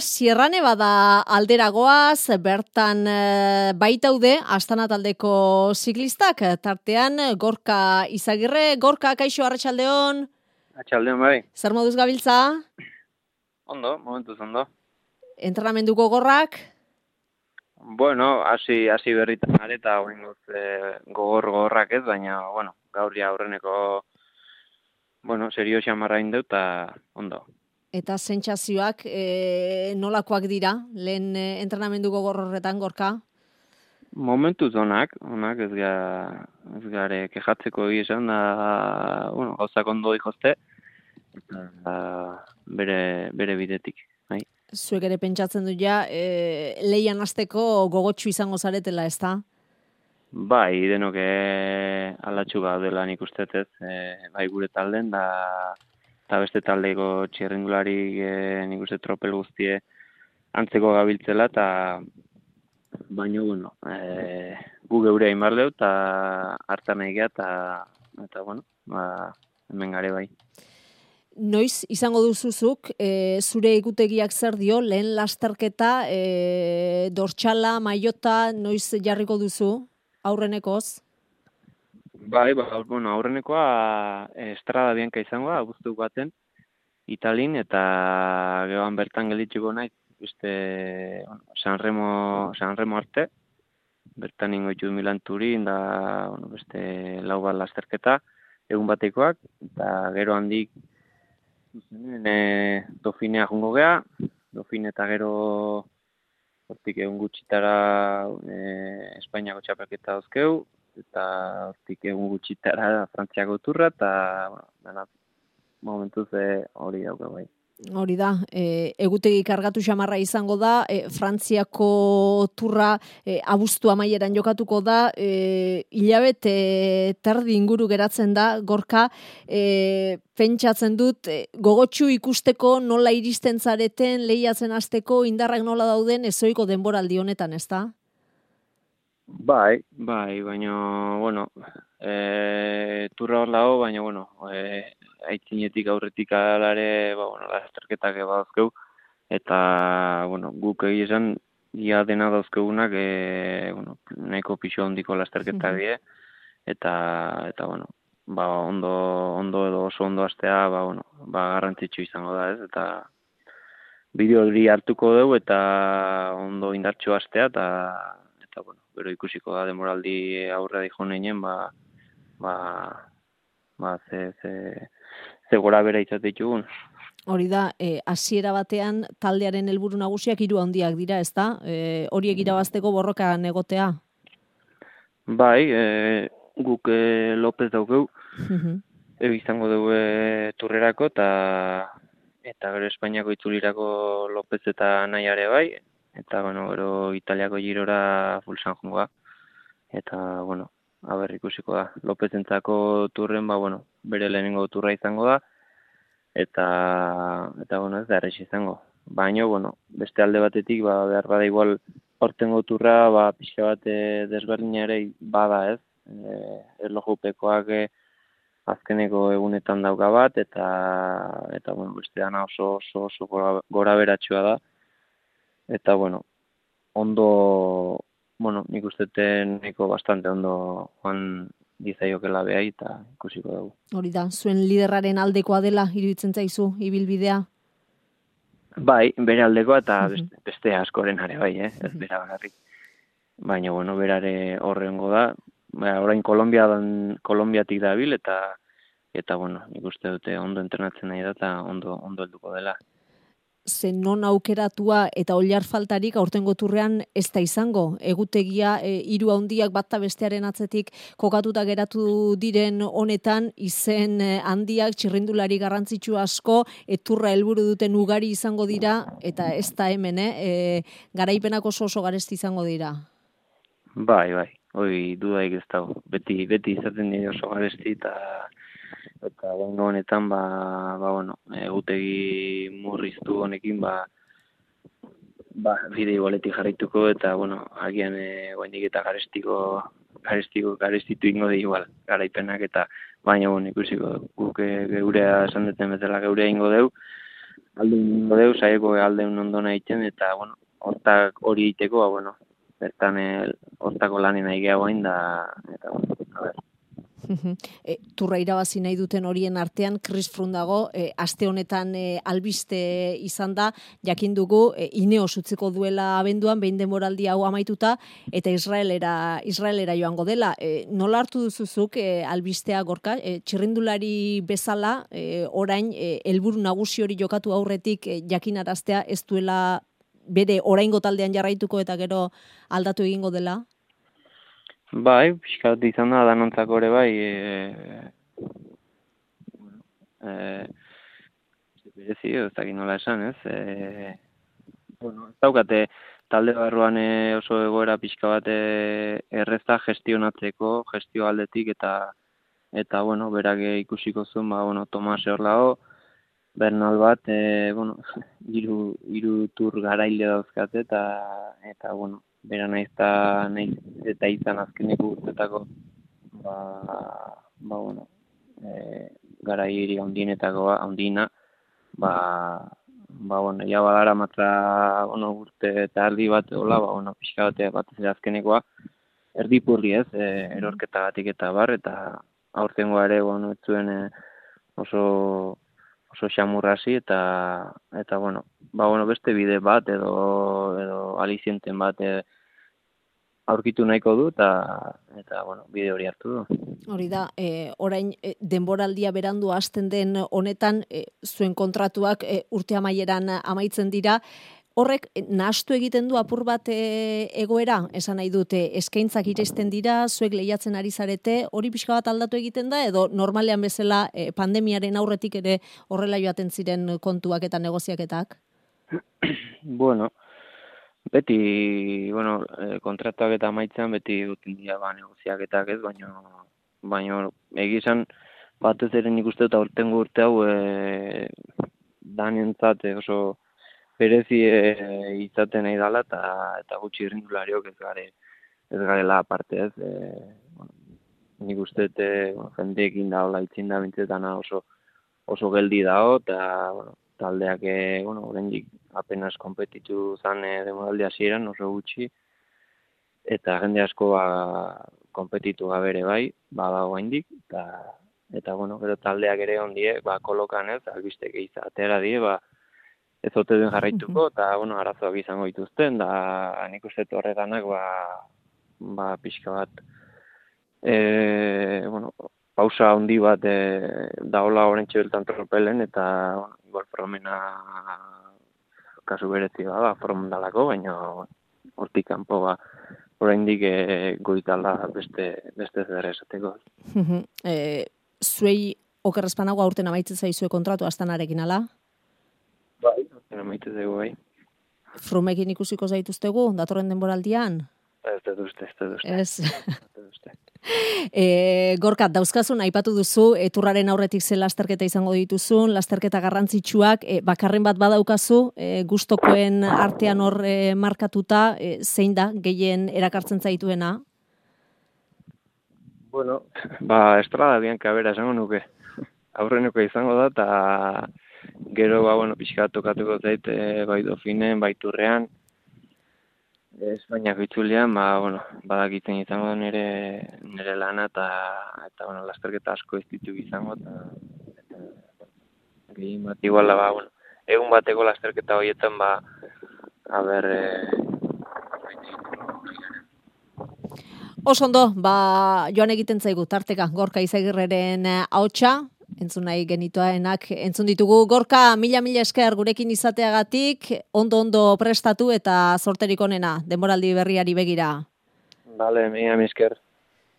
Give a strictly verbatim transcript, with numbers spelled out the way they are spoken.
Sierra Nevada alderagoaz, bertan e, baitaude Astana taldeko ziklistak, tartean Gorka Izagirre. Gorka, kaixo, arratsaldeon. Arratsaldeon bai. Zer moduz gabiltza? Ondo, momentuz ondo. Entrenamenduko gorrak? Bueno, hasi hasi berritan gare eta oraingoz e, gogor gogorrak ez, baina bueno, gaur ja aurreneko bueno, serio xamarra indeu ta ondo. Eta sentsazioak e, nolakoak dira, lehen e, entrenamenduko gorrorretan, Gorka? Momentuz onak, onak ez ga ez gare kejatzeko egia esan da, bueno, gauzak ondo dijozte eta bere bere bidetik, bai. Zuek ere pentsatzen du ja, e, leian hasteko gogotsu izango zaretela, ezta? Bai, denok e, alatxu gaudela nik uste ez, e, bai gure talden da eta beste taldeko txirrindulari e, nik uste tropel guztie antzeko gabiltzela eta baino bueno, e, gu geure hain barleu eta hartan nahi geha eta eta bueno, ba, hemen gare bai. Noiz izango duzuzuk, e, zure ikutegiak zer dio, lehen lasterketa, e, dortxala, maiota, noiz jarriko duzu, aurrenekoz? Bai, ba, bueno, aurrenekoa Estrada Bianca izango da, abuztu baten, Italin, eta gehoan bertan gelditzuko nahi, beste bueno, Sanremo, Sanremo arte, bertan ingo ditu Milan Turin, da bueno, beste lau bat lasterketa, egun batekoak, eta gero handik zuzenen e, Dauphinea jungo gea, Dauphine eta gero hortik egun gutxitara e, Espainiako txapelketa dauzkeu, eta hortik egun gutxitara Frantziako turra, eta bueno, dena momentuz e, hori dauka bai. Hori da, e, egutegi kargatu xamarra izango da, e, Frantziako turra e, abuztu amaieran jokatuko da, e, hilabete e, terdi inguru geratzen da, Gorka, e, pentsatzen dut, e, gogotsu ikusteko nola iristen zareten, lehiatzen hasteko indarrak nola dauden, ezoiko denboraldi honetan, ezta? Bai, bai, baina, bueno, e, turra hor lago, baina, bueno, e, aitzinetik aurretik alare, ba, bueno, lasterketak badauzkeu, eta, bueno, guk egia esan, ia dena dauzkeunak, e, bueno, nahiko pixo handiko lasterketak die, eta, eta, bueno, ba, ondo, ondo edo oso ondo astea, ba, bueno, ba, garrantzitsu izango da, ez, eta bideo hori hartuko dugu, eta ondo indartxo astea, eta, eta, bueno, gero ikusiko da demoraldi aurre dijo neinen, ba, ba, ba, ze, ze, ze gora bera izate ditugun. Hori da, e, hasiera batean taldearen helburu nagusiak hiru handiak dira, ezta? E, horiek irabazteko borrokan egotea. Bai, e, guk e, Lopez daukeu, e, izango dugu e, turrerako, eta eta gero Espainiako itzulirako Lopez eta nahiare bai, eta bueno, gero Italiako girora fulsan jungoa. Eta, bueno, haber ikusiko da. Lopezentzako turren, ba, bueno, bere lehenengo turra izango da, eta, eta bueno, ez da errez izango. Baina, bueno, beste alde batetik, ba, behar bada igual, hortengo turra, ba, pixka bat desberdina ere bada ez. E, erlojupekoak e, azkeneko egunetan dauka bat, eta, eta bueno, beste dana oso, oso, oso gora, gora beratxua da. Eta, bueno, ondo, bueno, nik usteten nahiko bastante ondo joan dizaiokela behai eta ikusiko dugu. Hori da, zuen liderraren aldekoa dela iruditzen zaizu ibilbidea? Bai, bere aldekoa eta beste, beste askoren are bai, eh? Ez bera bakarrik. Baina, bueno, berare horrengo da. Ba, orain Kolombia dan, Kolombiatik dabil eta eta bueno, nik uste dute ondo entrenatzen nahi da eta ondo ondo helduko dela. Zen non aukeratua eta oliar faltarik aurtengo turrean ez da izango. Egutegia e, hiru handiak bat bestearen atzetik kokatuta geratu diren honetan, izen e, handiak txirrindulari garrantzitsu asko, eturra helburu duten ugari izango dira, eta ez da hemen, eh? E, garaipenak oso oso garesti izango dira. Bai, bai, hoi dudaik ez dago. Beti, beti izaten dira oso garesti eta eta gaino honetan, ba, ba, bueno, egutegi murriztu honekin, ba, ba, bide igualetik jarraituko, eta, bueno, agian e, guaindik eta garestiko, garestiko, garestitu ingo di igual, garaipenak, eta baina, bueno, ikusiko, guk geurea esan duten bezala geurea ingo deu, aldeun deu, saieko aldeun ondona egiten, eta, bueno, hortak hori egiteko, ba, bueno, bertan hortako lanen nahi gehagoain da, eta, bueno, a ber. E, turra irabazi nahi duten horien artean, Chris Froome dago, e, aste honetan e, albiste izan da, jakin dugu, e, Ineos utziko duela abenduan, behin denboraldi hau amaituta, eta Israelera, Israelera joango dela. E, nola hartu duzuzuk e, albistea, Gorka? E, txirrindulari bezala, e, orain, e, helburu nagusi hori jokatu aurretik e, jakinaraztea ez duela bere oraingo taldean jarraituko eta gero aldatu egingo dela? Bai, pixkat izan da, danontzako ere bai, e, bueno, e, berezi, ez dakit nola esan, ez? E, bueno, ez daukate talde barruan e, oso egoera pixka bat e, erreza gestionatzeko, gestio aldetik, eta, eta bueno, berak ikusiko zuen, ba, bueno, Tomas Orlao, Bernal bat, e, bueno, hiru hiru tur garaile dauzkate, eta, eta, bueno, bera naiz eta, naiz eta izan azkeneko urtetako, ba, ba, bueno, e, garai hiri handienetako handiena, ba, ba, bueno, ja badara matza, bueno, urte eta erdi bat, hola, ba, bueno, pixka bate bat ez azkenekoa, erdipurri ez, e, erorketagatik eta bar, eta aurtengoa ere, bueno, ez zuen e, oso oso xamurrasi eta eta bueno, ba bueno, beste bide bat edo edo alizienten bat e, aurkitu nahiko du eta eta bueno, bide hori hartu du. Hori da, e, orain e, denboraldia berandu hasten den honetan e, zuen kontratuak e, urte amaieran amaitzen dira. Horrek nahastu egiten du apur bat e, egoera, esan nahi dute, eskaintzak iristen dira, zuek lehiatzen ari zarete, hori pixka bat aldatu egiten da, edo normalean bezala e, pandemiaren aurretik ere horrela joaten ziren kontuak eta negoziaketak? Bueno, beti, bueno, e, kontratuak eta amaitzen beti duten dira ba, negoziaketak ez, baina baina egizan batez ere nik uste eta urtengo urte hau e, danentzat oso berezi e, izaten nahi dela eta eta gutxi irrindulariok ez gare ez garela aparte ez e, bueno, nik uste e, bueno, jendeekin da hola itzin da bintzetana oso oso geldi dago eta bueno, taldeak e, bueno, oraindik apenas konpetitu zan e, demoraldi hasieran oso gutxi eta jende asko ba konpetitu gabe ere bai badago oraindik eta eta bueno, gero taldeak ere ondie ba kolokan ez albistek izatera die ba ez ote den jarraituko, eta, bueno, arazoak izango dituzten, da, nik uste horretanak, ba, ba, pixka bat, e, bueno, pausa handi bat, e, daola horrentxe beltan tropelen, eta, bueno, igual promena kasu berezi da, ba, promendalako, baina, hortik kanpo, ba, oraindik e, goitala beste, beste zer esateko. e, zuei, okerrezpanago aurten amaitzen zaizue kontratu astanarekin, ala? Bai, aurten amaitzen dugu, bai. Froomekin ikusiko zaituztegu, datorren denboraldian? Ez dut uste, ez dut uste. Ez. E, Gorka, dauzkazun aipatu duzu, eturraren aurretik ze lasterketa izango dituzun, lasterketa garrantzitsuak, e, bakarren bat badaukazu, e, gustokoen artean hor e, markatuta, e, zein da, gehien erakartzen zaituena? Bueno, ba, Estrada Bianca bera esango nuke. Aurreneko izango da, eta gero, ba, bueno, pixka tokatuko zait, e, bai Dofinen, bai Turrean, Espainiako itzulian, ba, bueno, badakitzen izango nire, nire lana, eta, eta bueno, lasterketa asko ez ditu izango, eta, eta gehien bat iguala, ba, bueno, egun bateko lasterketa horietan, ba, a ber, e, Oso ondo, ba, joan egiten zaigu, tarteka, Gorka Izagirreren ahotsa, entzun nahi genituaenak, entzun ditugu. Gorka, mila-mila esker gurekin izateagatik, ondo-ondo prestatu eta zorterik onena, denboraldi berriari begira. Bale, mila esker.